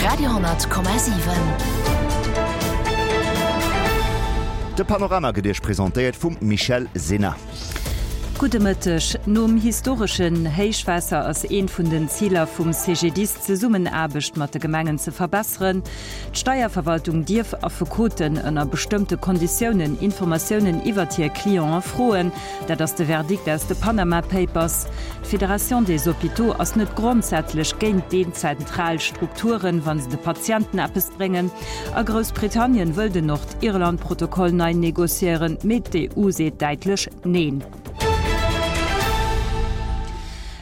Radio,7. De Panorama gëtt Iech presentéiert vum Michèle Sinner. Gudde Mëtteg. Nom historeschen Héichwaasser ass eent vun den Ziler vum CGDIS d'Zesummenaarbecht mat de Gemengen ze verbesseren. D'Steierverwaltung dierf Affekoten ënner bestëmmte Konditiounen Informatiounen iwwert hir Cliente froen. Dat ass de Verdikt aus de Panama Papers. D'Fédération des Hôpitaux ass net grondsätzlech géint dezentral Strukturen, wa se de Patienten eppes bréngen. A Groussbritannien wëll den Nordirland-Protokoll nei negociéieren, mee d'EU seet däitlech Neen.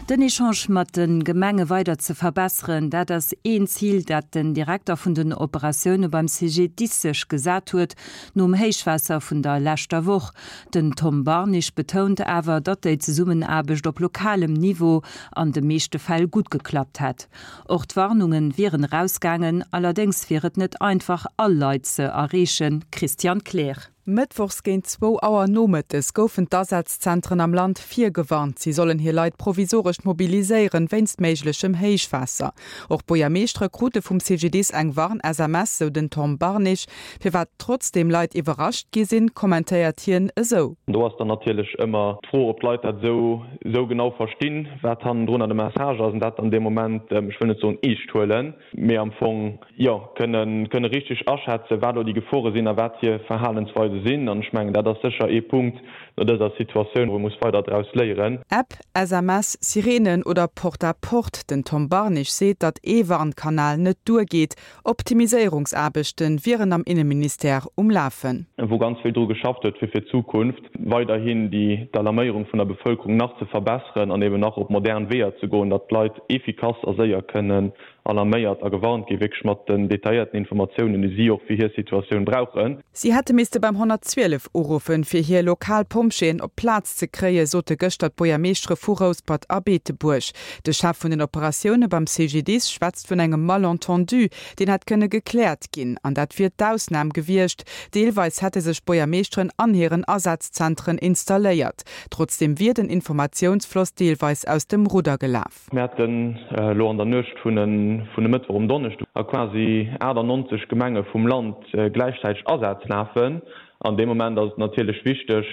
Den Echange mat de Gemenge weider ze verbesseren, dat ass een Zil, dat den Direkter vun den Operatioune beim CGDIS sech gesat huet, nom Héichwaasser vun der leschter Woch. Den Tom Barnig betount awer, datt déi Zesummenaarbecht op lokalem Niveau an de meeschte Fäll gutt geklappt hätt. Och d'Warnunge wieren erausgaangen, allerdéngs wier et net einfach all Leit ze erreechen. Christian Kleer. Mëttwochs géint zwou Auer nomëttes goufen d'Asazzentren am Land virgewarnt. Si sollen hir Leit provisoresch mobiliséieren, wéinst méiglechem Héichwaasser. Och d'Buergermeeschtere krute vum CGDIS eng Warn-SMS, sou den Tom Barnig. Firwat trotzdeem Leit iwwerrascht gi sinn, kommentéiert hien esou. Do ass dann natierlech ëmmer d'Fro, ob d'Leit dat esou esou genau verstinn, wat hannendrunner de Message ass, an dat dann dee Moment, ech wëll net soen eescht huelen, mee am Fong, jo, kënnen kënne richteg aschätzen, wat elo déi Gefore sinn a wat hir Verhalensweise sinn. An ech mengen, dat ass sécher ee Punkt no dëser Situatioun, wou ee muss weider draus léieren. App, SMS, Sirenen oder Porte-à-porte, den Tom Barnig seet, datt ee Warnkanal net duergeet, Optimiséierungsaarbechte wieren am Inneministère um Lafen. Wou ganz vill dru geschafft huet, fir fir d'Zukunft weiderhin déi d'Alarméierung vun der Bevëlkerung nach ze verbesseren an eben nach op modern Weeër ze goen, datt d'Leit efficace a séier kënnen alarméiert a gewarnt ginn, wierklech mat den detailléierten Informatiounen, déi si och fir hir Situatioun brauchen. Si hätte misste beim 112 uruffen, fir hir lokal Pompjeeën op d'Plaz ze kréien, sote gëschter d'Buergermeeschtere vu Rouspert a Beetebuerg. De Chef vun den Operatioune beim CGDIS schwätzt vun engem Malentendu, deen hätt kënne gekläert ginn. An dat wier d'Ausnam gewiescht. Deelweis hätte sech d'Buergermeeschteren an hiren Asazzentren installéiert. Trotzdeem wier den Informatiounsfloss deelweis aus dem Rudder gelaf. Mir haten elo an der Nuecht vun e Mëttwoch um Donneschdeg a quasi 98 Gemenge vum Land gläichzäiteg Asätz lafen. An deem Moment ass et natierlech wichteg,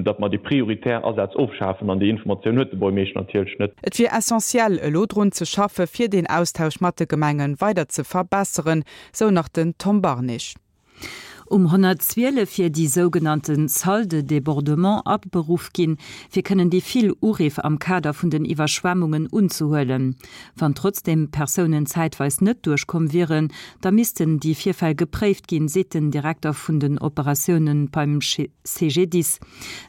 datt mer déi prioritär Asätz ofschafen. An déi Informatioun huet de Buergmeeschter natierlech net. Et wier essentiell, elo drun ze schaffe fir deen Austausch mat de Gemenge weider ze verbesseren, sou nach den Tom Barnig. Um 112 wier déi sougenannte Salle de débordement aberuff ginn, fir kënnen déi vill Uriff am Kader vun den Iwwerschwemmungen unzehuelen. Wann trotzdeem Persounen zäitweis net duerchkomm wieren, da missten déi Virfäll gepréift ginn, seet den Direkter vun den Operatioune beim CGDIS.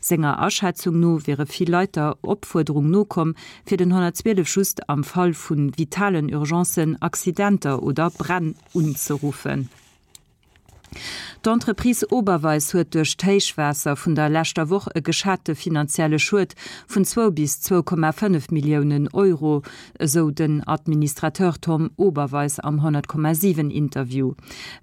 Senger Aschätzung no wiere vill Leit der Opfuerderung nokomm, fir den 112 just am Fall vu vitalen Urgencen, Accidenter oder Bränn unzeruffen. D'Entreprise Oberweis huet duerch d'Héichwaasser vun der leschter Woch e geschate finanzielle Schued vun zwou bis 2,5 Milliounen Euro, esou den Administrateur Tom Oberweis am 100,7 Interview.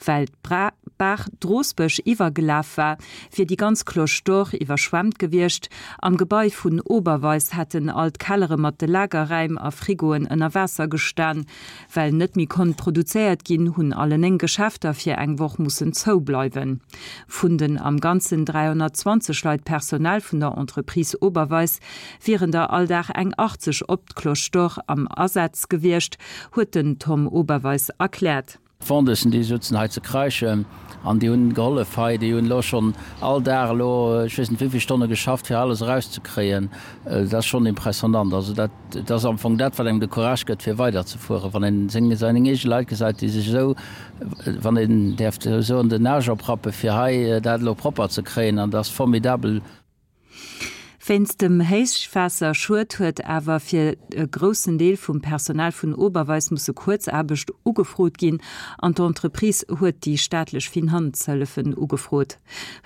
Well d'Baach Drosbech iwwergelaf war, wier déi ganz Cloche d'Or iwwerschwemmt gewiescht. Am Gebai vun Oberweis hätten all d'Kellere mat de Lagerräim a Frigoen ënner Waasser gestan. Well net méi konnt produzéiert ginn, hunn alle 9 Geschäfter fir eng Woch mussen zoubleiwen. Vun den am Ganzen 320 Leit Personal vun der Entreprise Oberweis wieren der all Dag eng 80 op d'Cloche d'Or am Asaz gewiescht, huet den Tom Oberweis erkläert. D'Vendeusen déi sutzen hei ze kreischen an déi hunn gehollef hei. Déi hunn elo schonn all Dag elo ech weess net wéivill Stonne geschafft fir alles erauszekréien. Dat ass schonn impressionnant. Also dat Et ass am Fong dat, wat engem de Courage gëtt, fir weiderzefueren, wann een seng, seng eege Leit gesäit, déi sech esou, wann een däerf esou soen, den Aarsch oprappe fir hei dat elo propper ze kréien. An dat ass formidabel. Wéinst dem Héichwaasserschued huet awer fir e groussen Deel vum Personal vun Oberweis musse Kuerzaarbecht ugefrot ginn an d'Entreprise huet déi staatlech Finanzhëllefen ugefrot.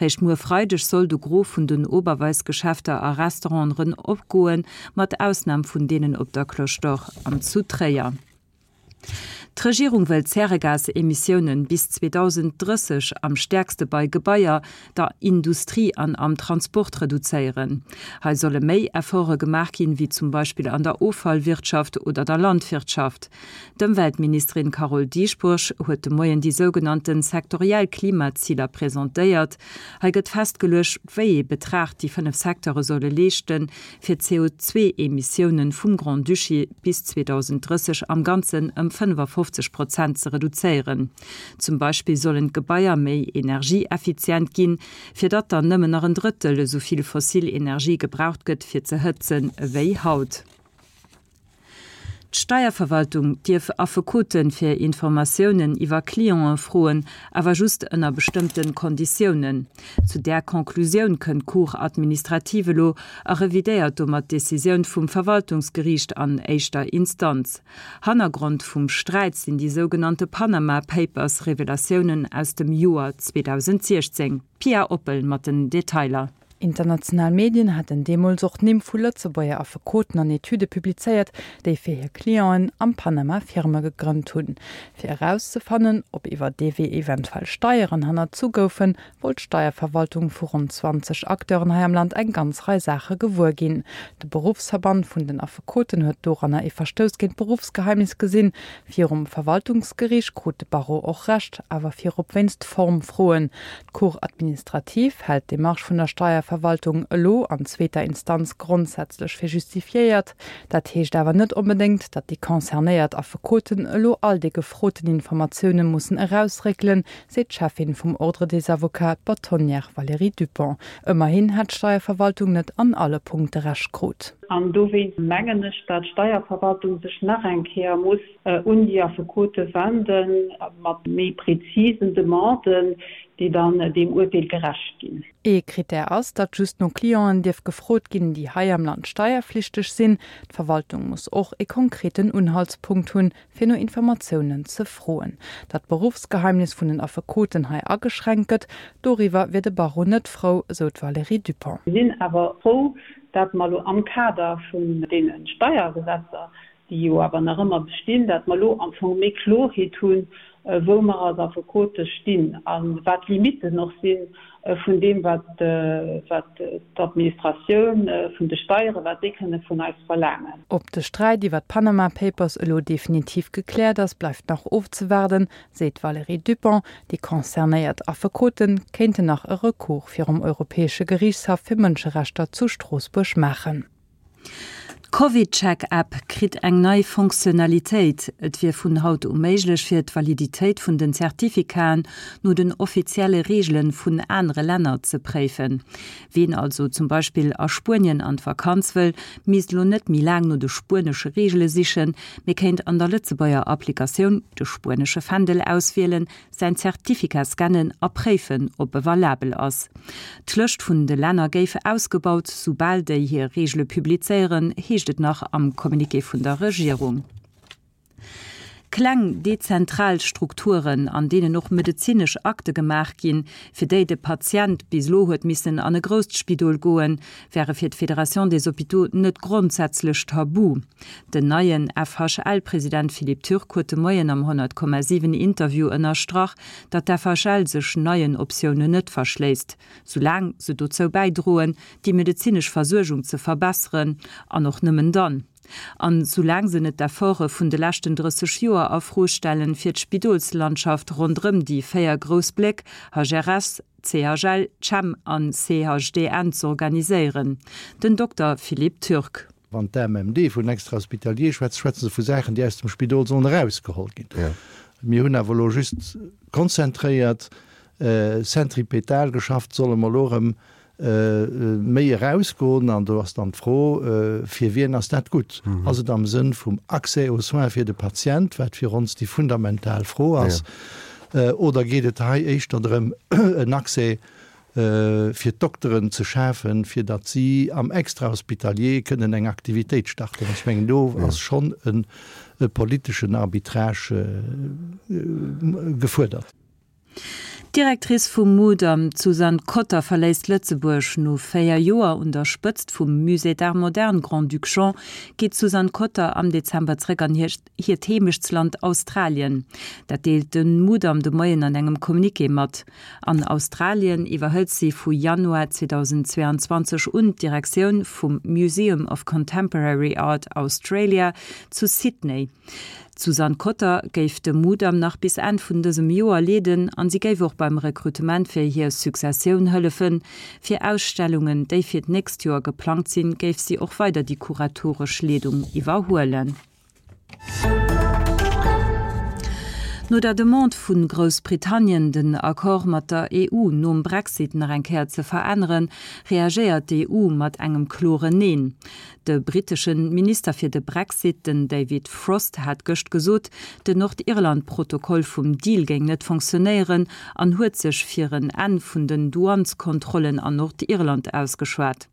Réischt muer Freideg soll de Gros vun den Oberweis-Geschäfter a Restauranten rëm opgoen, mat Ausnam vun deenen op der Cloche d'Or an zu Tréier. D'Regierung wëll d'Zäregasemissiounen bis 2030 am stäerkste bei Gebaier, der Industrie an am Transport reduzéieren. Hei solle méi Efforte gemaach ginn, wéi zum Beispill an der Offallwirtschaft oder der Landwirtschaft. D'Ëmweltministerin Carole Dieschbourg huet de Moien déi sougenannte sektoriell Klimaziler presentéiert. Hei gëtt festgeluecht, wéi ee Betrag déi 5 Secteure solle leeschten, fir d'CO2-Emissiounen vum Grand-Duché bis 2030 am Ganzen ëm 55 Prozent ze reduzéieren. Zum Beispill sollen d'Gebaier méi energieeffizient ginn, fir datt dann nëmmen nach en Drëttel esou vill fossil Energie gebraucht gëtt fir ze hëtzen ewéi haut. D'Steierverwaltung dierf Affekote fir Informatiounen iwwer Clientë froen, awer just ënner bestëmmte Konditiounen. Zu där Conclusioun kënnt d'Cour administrative elo a revidéiert domat d'Decisioun vum Verwaltungsgeriicht an éischter Instanz. Hannergrond vum Sträit sinn déi sougenannte Panama Papers, Revelatiounen aus dem Joer 2016. D'Pia Oppel mat den Detailer. International Medien haten deemools och d'Nimm vu Lëtzebuerger Affekoten an Etüde publizéiert, déi fir hir Clienten am Panama Firme gegrënnt hunn. Fir erauszefannen, ob iwwer dee Wee eventuell Steieren hannerzu goufen, wollt d'Steierverwaltung vu ronn 20 Acteuren hei am Land eng ganz Rei Saache gewuer ginn. De Beruffsverband vun den Affekoten huet doranner ee Verstouss géint d'Beruffsgeheimnis gesinn. Virum Verwaltungsgeriicht krut de Barreau och Recht, awer virop wéinst Formfroen. D'Cour administrative hält d'Demarche vun der Steierverwaltung elo an zweeter Instanz grondsätzlech fir justifiéiert. Dat heescht awer net onbedéngt, datt déi concernéiert Affekoten elo all déi gefroten Informatioune mussen erausréckelen, seet d'Cheffin vum Ordre des Avocats, d'Bâtonnière Valérie Dupong. Ëmmerhin hätt d'Steierverwaltung net an alle Punkte Recht krut. An dowéinst mengen ech, datt d'Steierverwaltung sech nach eng Kéier muss un déi Affekote wende mat méi prezisen Demanden, déi dann deem Urteel gerecht ginn. Ee Krittär ass, datt just no Clienten dierf gefrot ginn, déi hei am Land steierflichteg sinn. D'Verwaltung muss och ee konkreten Unhaltspunkt hunn, fir no Informatiounen ze froen. Datt d'Beruffsgeheimnis vun den Affekoten hei ageschränkt gëtt, doriwwer wier de Barreau net frou, esou d'Valérie Dupong. Mir sinn awer frou, datt mer elo am Kader vun deene Steiergesetzer, déi jo awer nach ëmmer bestinn, datt mer elo am Fong méi Klorheet hunn, wou mer als Affekote stinn a wat d'Limitten och si vun deem, wat d'Administratioun vun de Steieren, wat déi kënne vun eis verlaangen. Ob de Sträit iwwer d'Panama Papers elo definitiv gekläert ass, bleift nach ofzewaarden, seet d'Valérie Dupong. Déi concernéiert Affekote kéinten nach e Recours virum Europäesche Geriichtshaff fir Mënscherechter zu Stroossbuerg maachen. D'CovidCheck-App kritt eng nei Fonctionnalitéit. Et wier vun haut u méiglech fir d'Validitéit vun den Certificaten no den offizielle Reegele vun anere Länner ze préifen. Ween also zum Beispill a Spuenien an d'Vakanz wëll, misst elo net méi laang no de spuenesche Reegele sichen, mee kéint an der Lëtzebuerger Applikatioun de spuenesche Fändel auswielen, säin Certificat scannen a préifen, ob e valabel ass. D'Lëscht vun de Länner géif ausgebaut, soubal déi hir Reegele publizéieren, heescht et nach am Communiqué vun der Regierung. Kleng, dezentral Strukturen, an deenen och medezinesch Akte gemaach ginn, fir déi de Patient bis elo huet missen an e grousst Spidol goen, wäre fir d'Fédération des Hôpitaux net grondsätzlech tabu. Den neien FHL-President Philippe Turk huet de Moien am 100,7 Interview ënnerstrach, datt d'FHL sech neien Optiounen net verschléisst, soulaang se dozou bäidroen, déi medezinesch Versuergung ze verbesseren, an och nëmmen dann. An soulaang se net d'Efforte vun de leschten 30 Joer a Fro stellen, fir d'Spidolslandschaft ronderëm déi 4 grouss Bléck, HRS, CHL, Chem an CHDN, z'organiséieren. Den Dokter Philippe Turk. Wann d'AMMD vun Extra-hospitalier schwätzt, schwätze se vu Saachen, déi aus dem Spidol sollen erausgeholl ginn. Mir hunn awer elo just konzentréiert, centripetal geschafft. Solle mer elo erëm méi erausgoen? An do ass dann d'Fro, Fir wien ass dat gutt? Ass et am Sënn vum Accès aux soins fir de Patient, wat fir ons déi fundamental Fro ass, oder geet et hei éischter drëm, en Accès fir d'Dokteren ze schafen, fir datt si am Extrahospitalier kënnen eng Aktivitéit starten. Ech mengen, do ass schonn e politeschen Arbitrage gefuerdert. D'Directrice vum Mudam, d'Suzanne Cotter, verléisst Lëtzebuerg. No 4 Joer un der Spëtzt vum Musée d'Art moderne Grand-Duc Jean geet d'Suzanne Cotter am Dezember zréck an hiert Heemechtsland Australien. Dat deelt de Mudam de Moien an engem Communiqué mat. An Australien iwwerhëlt si vu Januar 2022 un d'Direktioun vum Museum of Contemporary Art Australia zu Sydney. D'Suzanne Cotter géif de Mudam nach bis Enn vun dësem Joer leeden an si géif och beim Rekrutement fir hir Successioun hëllefen. Fir Ausstellungen, déi fir d'nächst Joer geplangt sinn, géif si och weider déi kuratoresch Leedung iwwerhuelen. No der Demande vu Groussbritannien, den Accord mat der EU nom Brexit nach eng Kéier ze veränneren, reagéiert d'EU mat engem kloren Neen. De brittesche Minister fir de Brexit, den David Frost, hat gëscht gesot, den Nordirland-Protokoll vum Deal géing net fonctionnéieren an huet sech fir en Enn vun den Douaneskontrollen an Nordirland ausgeschwat.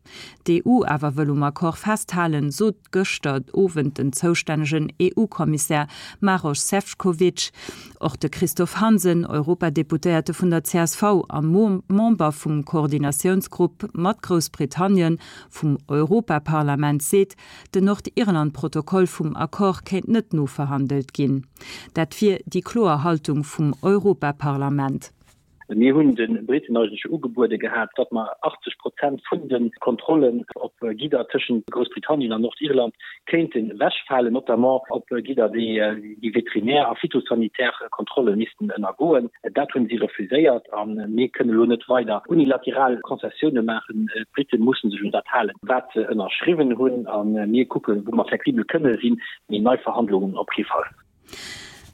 D'EU awer wëll um Accord festhalen, sot gëschter Owend den zoustännegen EU-Kommissär Maroš Sefcovic. Och de Christophe Hansen, Europadeputéierte vun der csv a Member vum Koordinatiounsgrupp mat Groussbritannien, vum Europaparlament seet, den Nordirland-Protokoll vum Accord kéint net noverhandelt ginn. Dat wier déi kloer Haltung vum Europaparlament. Mir hunn de Briten eigentlech ugebuede gehat, datt mer 80 Prozent vun de Kontrollen op Gidder tëschent Groussbritannien an Nordirland kéinten ewechfalen, notamment op Gidder, déi veterinär a phytosanitär Kontrolle missten ënnergoen. Dat hunn si refuséiert a mir kënnen elo net weider unilateral Konzessioune maachen. D'Brite musse sech un dat halen, wat se ënnerschriwwen hunn a mir kucken, wou mer flexibel kënne sinn, mee nei Verhandlungen op kee Fall.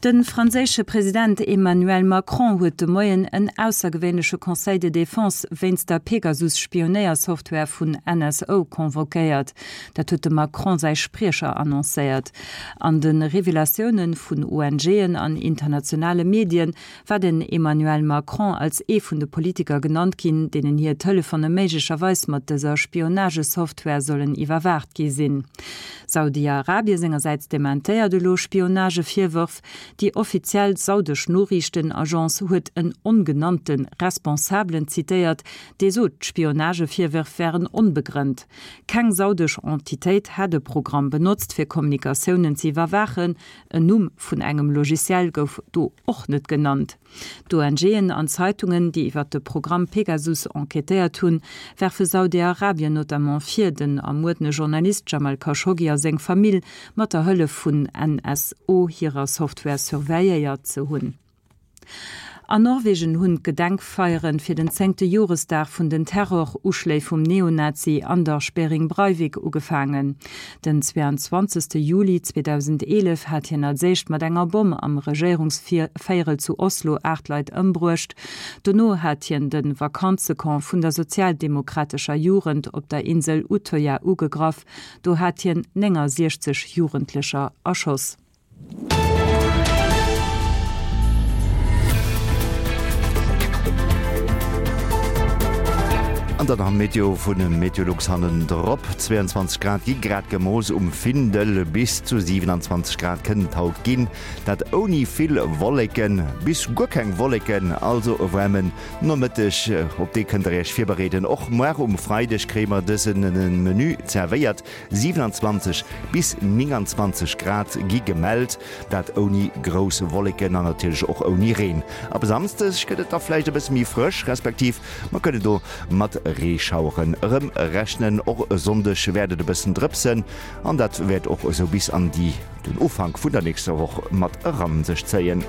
De franséische President Emmanuel Macron huet de Moien en aussergewéinleche Conseil de défense wéinst der Pegasus-Spionéiersoftware vun NSO convoquéiert. Dat huet dem Macron säi Spriecher annoncéiert. An de Revelatioune vun ONGen an internationale Medien war den Emmanuel Macron als ee vun de Politiker genannt ginn, deenen hir Telefone méiglecherweis mat dëser Spionagesoftware sollen iwwerwaacht gi sinn. Saudi-Arabie sengersäits dementéiert elo Spionagevirwërf. Déi offiziell saudesch Noriichtenagence huet en ongenannte Responsabelen zitéiert, dee sot, d'Spionagevirwërf wären onbegrënnt. Keng saudesch Entitéit hätt e Programm benotzt, fir Kommunikatiounen ze iwwerwaachen. En Numm vun engem Logiciel gouf do och net genannt. D'ONGen an Zeitungen, déi iwwer de Programm Pegasus enquêtéiert hunn, werfe Saudi-Arabien notamment vir, den ermuerdene Journalist Jamal Khashoggi a seng Famill mat der Hëllef vun NSO hirer Software surveilléiert ze hunn. An Norwegen hunn d'Gedenkfeiere fir den zéngte Joresdag vun den Terroruschléi vum Neonazi Anders Behring Breivik ugefaangen. Den 22 Juli 2011 hat hien als éischt mat enger Bomm am Regéierungsvéierel zu Oslo 8 Leit ëmbruecht. Dono hat hien de Vakanzecamp vun der sozialdemokratescher Jugend op der Insel Utøya ugegraff. Do hat hien 69 Jugendlecher erschoss. An dann am Meteo vun Meteolux hannendrop, 22 Grad gi grad gemooss um Findel, bis zu 27 Grad kënnen et haut ginn, dat ouni vill Wolleken bis guer keng Wolleken, also e waarmen Nomëtteg, op dee kënnt der Iech virbereeden. Och muar um Freideg kréie mer dëse Menü zerwéiert, 27 bis 29 Grad gi gemellt, dat ouni grouss Wolleken an natierlech och ouni Reen. Ab e Samsdeg gëtt et da vläicht e bësse méi frësch, respektiv mer kënnen do mat Reeschaueren erëm rechnen. Och e Sonndeg wäert et e bëssen drëpsen an dat wäert och esou bis an déi den Ufank vun der nächster Woch mat eran sech zéien.